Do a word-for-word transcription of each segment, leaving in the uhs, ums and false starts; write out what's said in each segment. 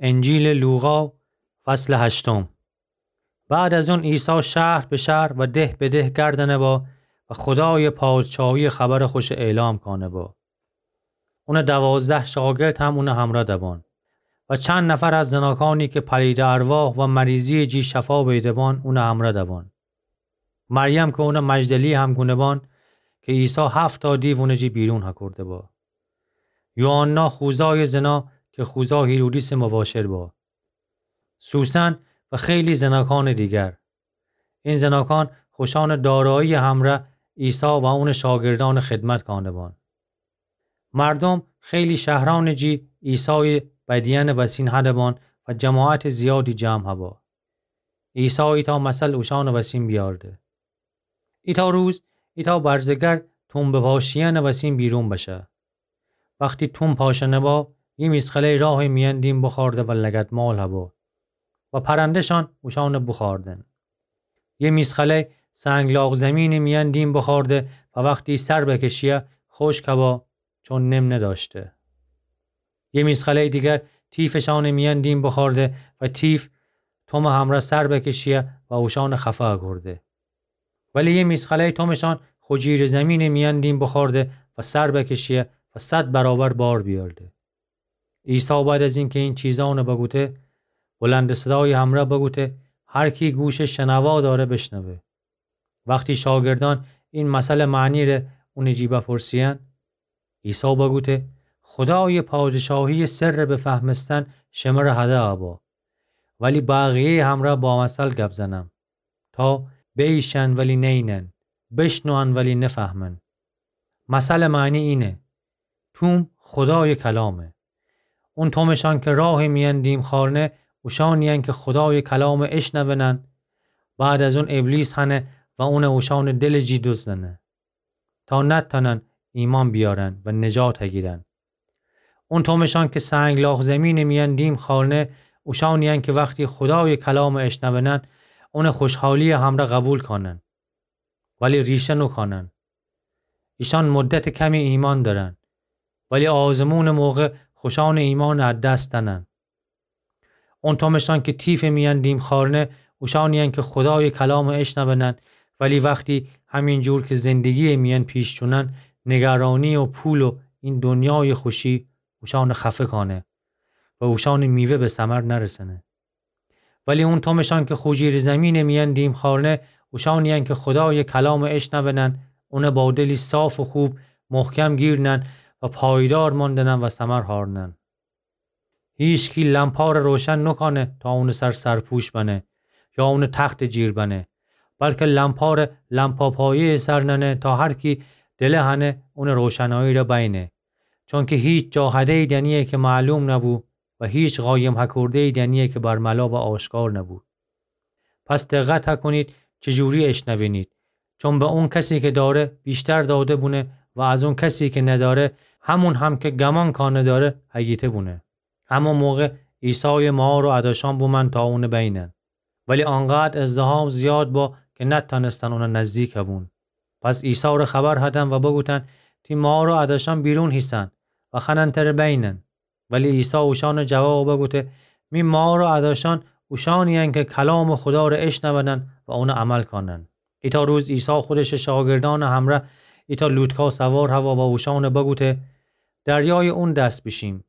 انجیلٚ لوقا، فصلٚ هشتم. بعد از اون عیسی شهر به شهر و ده به ده گردأنه با و خودایٚ پادشاهیٚ خبرٚ خوشٚ اعلام کانه با. اونٚ دوازده شاگرد هم اونٚ همرأ دبان و چند نفر از زناکانی که پلیدٚ ارواح و مریضییٚ جی شفا بیده بان، اونٚ همرأ دبان. مریم که اونٚ مجدلی هم گونه بان، که عیسی هفتا دیو اونٚ جی بیرون هکورده با. یوحنا خوزایٚ زنا که خوزا هیرودیسٚ مباشر با. سوسن و خیلی زناکانٚ دیگر. این زناکان خوشانٚ دارایییٚ همرأ عیسی و اونٚ شاگردأن خدمت کانه بان. مردوم خیلی شهرأنٚ جی عیسایٚ بدیأنٚ وسین هده بان و جماعتٚ زیادی جمع هبا. عیسی ایتأ مثل اوشأنٚ وسین بیارده. ایتأ روز، ایتأ برزگر توم بپاشیأنٚ وسین بیرون بشه. وختی توم پاشأنه با، یه میسخله‌ی راهٚ میأن دیم بخوأرده و لگدمال هبا و پرنده‌شان اوشأنٚ بوخوأردن. یه میسخله‌ی سنگلاخ زمینٚ میأن دیم بخوأرده و وختی سر بکشیه، خوشک هبا، چون نم ندأشته. یه میسخله‌ی دیگر تیفٚ شانٚ میأن دیم بخوأرده و تیف تومٚ همرأ سر بکشیه و اوشأنٚ خفه اکورده. ولی یه میسخله‌ی تومٚ شان خوجیرٚ زمینٚ میأن دیم بخوأرده و سر بکشیه و صد برابر بار بیأرده. عیسی بعد از اینکه این چیزأنٚ بگوته، بلندٚ صدایٚ همرأ بگوته: هر کی گوشٚ شنوا دأره، بشنوه. وختی شاگردأن این مثلٚ معنی ره اونٚ جی بپرسیأن، عیسی بگوته: خودایٚ پادشاهییٚ سرٚ بفهمستن شمره هده ابا، ولی بقیه‌یٚ همرأ با مثل گب زنم، تا بییشن ولی نینن، بشنوئن ولی نفهمن. مثلٚ معنی اینه: توم خودایٚ کلامه. اون تومٚ شان که راهٚ میأن دیم خوأرنه، اوشأنیین که خودایٚ کلامٚ اشنونن، بعد از اون ابلیس هنه و اونٚ اوشأنٚ دلٚ جی دزدأنه، تا نتأنن ایمأن بیأرن و نجات هگیرن. اون تومٚ شان که سنگلاخ زمینٚ میأن دیم خوأرنه، اوشأنیین که وختی خودایٚ کلامٚ اشنونن، اونٚ خوشحالییٚ همرأ قبول کانن، ولی ریشه نوکانن. ایشأن مدتٚ کمی ایمأن دأرن، ولی آزمونٚ موقع خوشأنٚ ایمأنٚ از دس دأنن. اون تومٚ شان که تیفٚ میأن دیم خوأرنه، اوشأنیین که خودایٚ کلامٚ اشنونن، ولی وختی همین جور که زندگییٚ میأن پیش چونن، نگرانی و پول و این دنیایٚ خوشی اوشأنٚ خفه کانه و اوشأنٚ میوه به ثمر نرسأنه. ولی اون تومٚ شان که خوجیرٚ زمینٚ میأن دیم خوأرنه، اوشأنیین که خودایٚ کلامٚ اشنونن، اونٚ با دلی صاف و خوب محکم گیرنن و پایدار ماندنن و ثمر هارنن. هیچکی لمپاره روشن نوکانه تا اونٚ سر سرپوش بنه یا اونٚ تختٚ جیر بنه، بلکه لمپاره لمپاپایه‌یٚ سر نأنه تا هر کی دله هنه اونٚ روشنایی ره بینه. چونکه هیچ جا هده‌یی دنییه که معلوم نبو و هیچ قایم هکورده‌یی دنییه که برملا و آشکار نبو. پس دقت هکونید چی جوری اشنوینید، چون به اون کسی که دأره ویشتر داده بونه و از اون کسی که ندأره، همون هم که گمان کانه دأره هگیته بونه. همون موقع عیسایٚ مار و اداشأن بومأن تا اونٚ بینن. ولی آنقدر ازدحام زیاد با که نتأنستن اونٚ نزدیک بون. پس عیسی ره خبر هدن و بگوتن: تی مار و اداشأن بیرون هیسن و خوأنن تره بینن. ولی عیسی اوشأنٚ جواب بگوته: می مار و اداشأن اوشأنیین که کلامٚ خودا ره اشنونن و اونٚ عمل کانن. ایتأ روز عیسی خودشٚ شاگردأنٚ همرأ ایتأ لوتکا سوار هوا و اوشأن بگوته: دریایٚ اون دس بیشیم.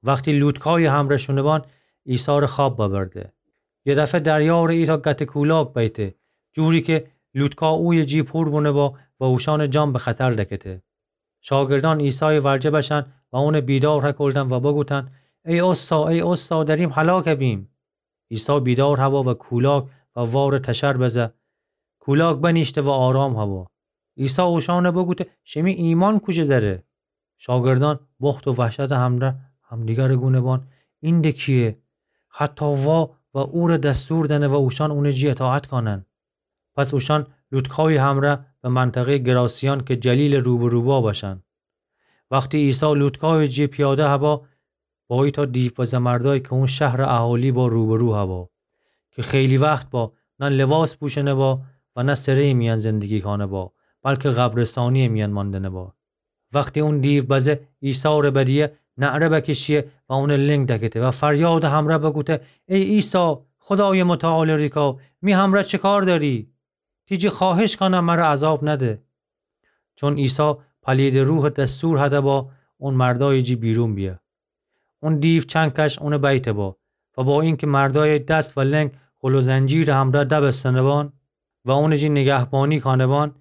وختی لوتکایٚ همرأ شونه بان، عیسی ره خواب ببرده. یه دفعه دریا ره ایتأ گته کولاک بیته، جوری که لوتکا اویه جی پور بونه با و اوشأنٚ جان به خطر دکته. شاگردأن عیسایٚ ورجه بشن و اونٚ بیدار هکولدن و بگوتن: ای استا، ای استا، دریم هلاک بیم. عیسی بیدار هوا و کولاک و وار تشر بزه. کولاک بنیشته و آرام هوا. عیسی اوشأن بگوته: شیمی ایمأن کوجه دره؟ شاگردأن بخت و وحشتٚ همرأ همدیگر گونه بان: این د کییه؟ حتی وا و اور دستور دأنه و اوشأن اونٚ جی اطاعت کانن. پس اوشأن لوتکایٚ همرأ به منطقه‌یٚ گراسیان که جلیلٚ روبرو با بشن. وختی عیسی لوتکایٚ جی پیاده هوا، با ایتأ دیوبزه مردأیی که اون شهرٚ اهالی با روبرو هوا، که خیلی وخت با نه لباس پوشنه با و نه سره‌یٚ میأن زندگی کانه با، بلکه قبرستانی‌یٚ میأن ماندنه با. وختی اون دیوبزه عیسی ره بدیه، نعره بکشیه و اونٚ لنگ دکته و فریادٚ همرأ بگوته: ای عیسی، خودایٚ متعال ریکا، می همرأ چه کار دأری؟ تی جی خوأهش کانم مرأ عذاب نده. چون عیسی پلیدٚ روحٚ دستور هده با اون مردایٚ جی بیرون بیه. اون دیو چنکش اونٚ بیته با و با اینکه مردایٚ دس و لنگ غل و زنجیرٚ همرأ دبستنه بان و اونٚ جی نگهبانی کانه بان،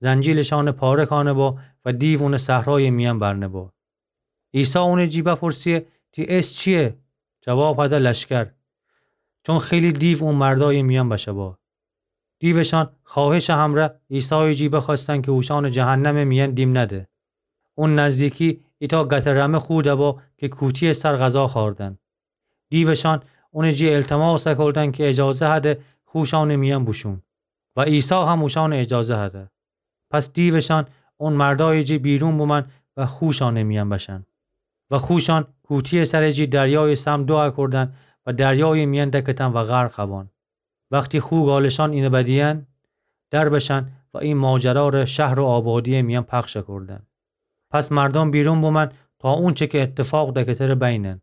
زنجیلشأنٚ پاره کانه با و دیو اونٚ صحرایٚ میأن برنه با. عیسی اونٚ جی بپرسیه: تی اسم چییه؟ جواب هده: لشکر. چون خیلی دیو اون مردایٚ میأن بشه با. دیوشأن خوأهشٚ همرأ عیسایٚ جی بخوأستن که اوشأنٚ جهنمٚ میأن دیم نده. اون نزدیکی ایتأ گتٚ رمه خو دبا که کوتی‌یٚ سر غذا خوأردن. دیوشأن اونٚ جی التماس کودن که اجازه هده خوشأنٚ میأن بوشون و عیسی هم اوشأنٚ اجازه هده. پس دیوشأن اون مردایٚ جی بیرون بومأن و خوشأنٚ میأن بشأن. و خوشأن کوتی‌یٚ سرٚ جی دریایٚ سمت دو کودن و دریایٚ میأن دکتن و غرق بان. وختی خو گالشأن اینه بدیئن، در بشأن و ای ماجرا ره شهر و آبادی‌یٚ میأن پخش کودن. پس مردأن بیرون بومأن تا اونچه که اتفاق دکته ره بینن.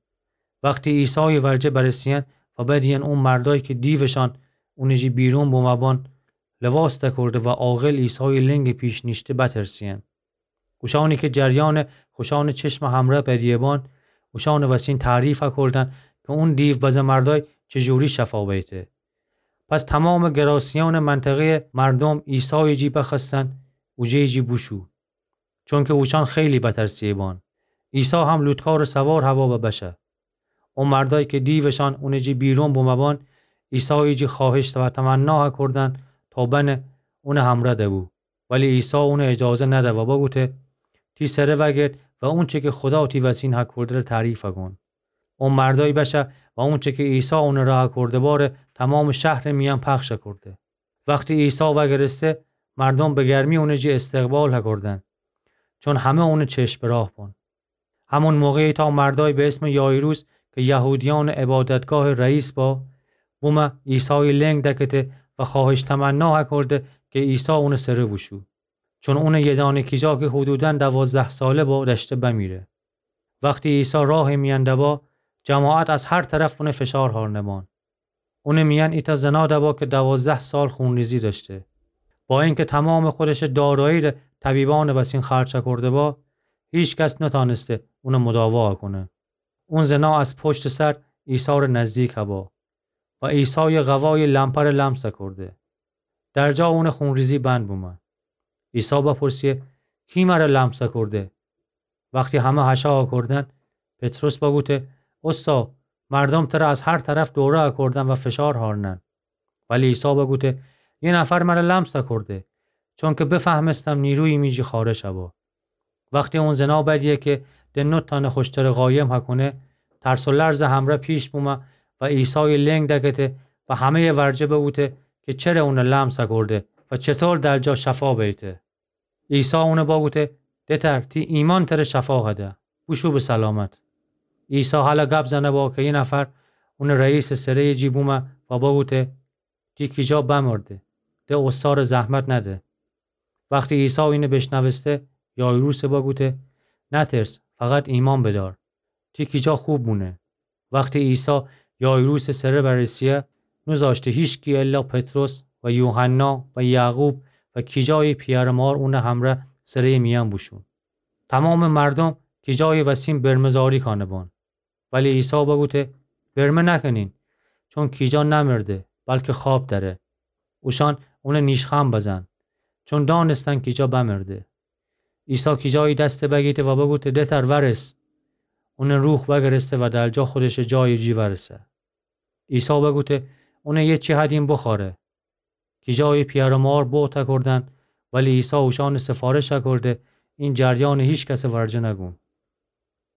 وختی عیسایٚ ورجه برسه‌یأن و بدیئن اون مردأیی که دیوشأن اونٚ جی بیرون بومه بان لباس دکورده و عاقل عیسایٚ لنگٚ پیش نیشته بترسه‌یأن. اوشأنی که جریانٚ خوشأنٚ چشمٚ همرأ بدیه بان، اوشأنٚ وسین تعریف کودن که اون دیو بزه مردأی چجوری شفا بیته. پس تومامٚ گراسیانٚ منطقه‌یٚ مردوم عیسایٚ جی بخوأستن اوجه‌یٚ جی بوشو، چونکه اوشأن خیلی بترسه‌یه بان. عیسی هم لوطکارٚ سوار هوا و بشه. او مردأیی که دیوشأن اونٚ جی بیرون بومه بان، عیسایٚ جی خوأهش و تمنا کودن تا بنه اونٚ همرأ دبو. ولی عیسی اونٚ اجازه نده و بگوته: تی سره وأگرد و اونچه که خودا تی وسین هکورده ره تعریف کون. او مردأی بشه و اونچه که عیسی اونٚ ره هکورده باره تومامٚ شهرٚ میأن پخش کورده. وختی عیسی وأگرسته، مردوم به گرمی اونٚ جی استقبال هکوردن، چون همه اونٚ چشم به راه بون. همون موقع ایتأ مردأی به اسمٚ یایروس که یهودیأنٚ عبادتگاهٚ رئیس با، بومه عیسایٚ لنگ دکته و خوأهش تمنا هکورده که عیسی اونٚ سره بوشو. چون اونٚ یه دانه کیجا که حدوداً دوازده ساله با دأشته بمیره. وختی عیسی راهٚ میأن دبا، جماعت از هر طرف اونٚ فشار هارنه بان. اونٚ میأن ایتأ زنا دبا که دوازده سال خونریزی دأشته. با اینکه تومامٚ خودشٚ دارایی ره طبیبأنٚ وسین خرج کورده با، هیکس نتأنسته اونٚ مداوا کونه. اون زنا از پشتٚ سر عیسی ره نزدیک با و عیسایٚ قوایٚ لمپه ره لمس کورده. در جا اونٚ خونریزی بند بومه. عیسی بپرسه: کی مره لمس کورده؟ وختی همه هشا کردن، پطرس بگوته: اوستا، مردوم تره از هر طرف دوره کردن و فشار هارنن. ولی عیسی بگوته: یه نفر مره لمس کورده، چونکه بفهمستم نیرویی می جی خارج با. وختی اون زنا بدیه که ده نتأنه خوشتره قایم کونه، ترس و لرز همره پیش بومه و عیسایٚ لنگ دکته و همه‌یٚ ورجه بگوته که چره اونه لمس کورده و چطور در جا شفا بیته. عیسی اونه بگوته: دتر، تی ایمأن تره شفا هده، بوشو به سلامت. عیسی هله گب زنه با که یه نفر اونٚ رئیسٚ سره‌یٚ جی بومه و بگوته: تی کیجا بمرده، ده اوستاره زحمت نده. وختی عیسی اینه بیشنوسته، یایروسه بگوته: نترس، فقط ایمأن بدار، تی کیجا خوب بونه. وختی عیسی یایروسٚ سره برسه، نوذاشته هیکس الا پطرس و یوحنا و یعقوب و کیجایٚ پیأر مار اونٚ همره سره‌یٚ میأن بوشون. تومامٚ مردوم کیجایٚ وسین برمه‌زاری کانه بان. ولی عیسی بگوته: برمه نکنین، چون کیجا نمرده، بلکه خواب دأره. اوشأن اونه نیشخوأن بزن، چون دأنستن کیجا بمرده. عیسی کیجایٚ دسته بگیته و بگوته: دتر، ورس. اونٚ روح وأگرسته و در جا خودشٚ جایٚ جی ورسه. عیسی بگوته: اونه یه چی هدیم بخوأره. کیجایٚ پیأر مار بوت کردن، ولی عیسی اوشأنٚ سفارش کرده این جریانٚ هیکسٚ ورجه نگون.